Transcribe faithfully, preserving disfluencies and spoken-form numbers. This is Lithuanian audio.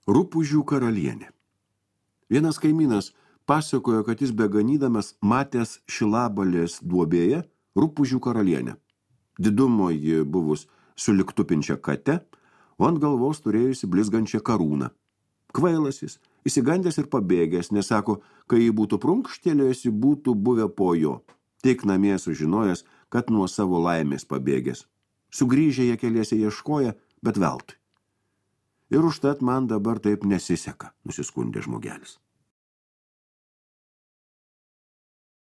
Rupūžių karalienė. Vienas kaimynas pasakojo, kad jis beganydamas matęs Šilabalės duobėje rupūžių karalienę. Didumo ji buvus suliktupinčia kate, o ant galvos turėjusi blizgančią karūną. Kvailas jis, įsigandęs ir pabėgęs, nesako, kai jį būtų prunkštelėjusi, būtų buvę po jo. Tik namie sužinojęs, kad nuo savo laimės pabėgęs. Sugrįžę jie keliese ieškoja, bet veltui. Ir užtat man dabar taip nesiseka, nusiskundė žmogelis.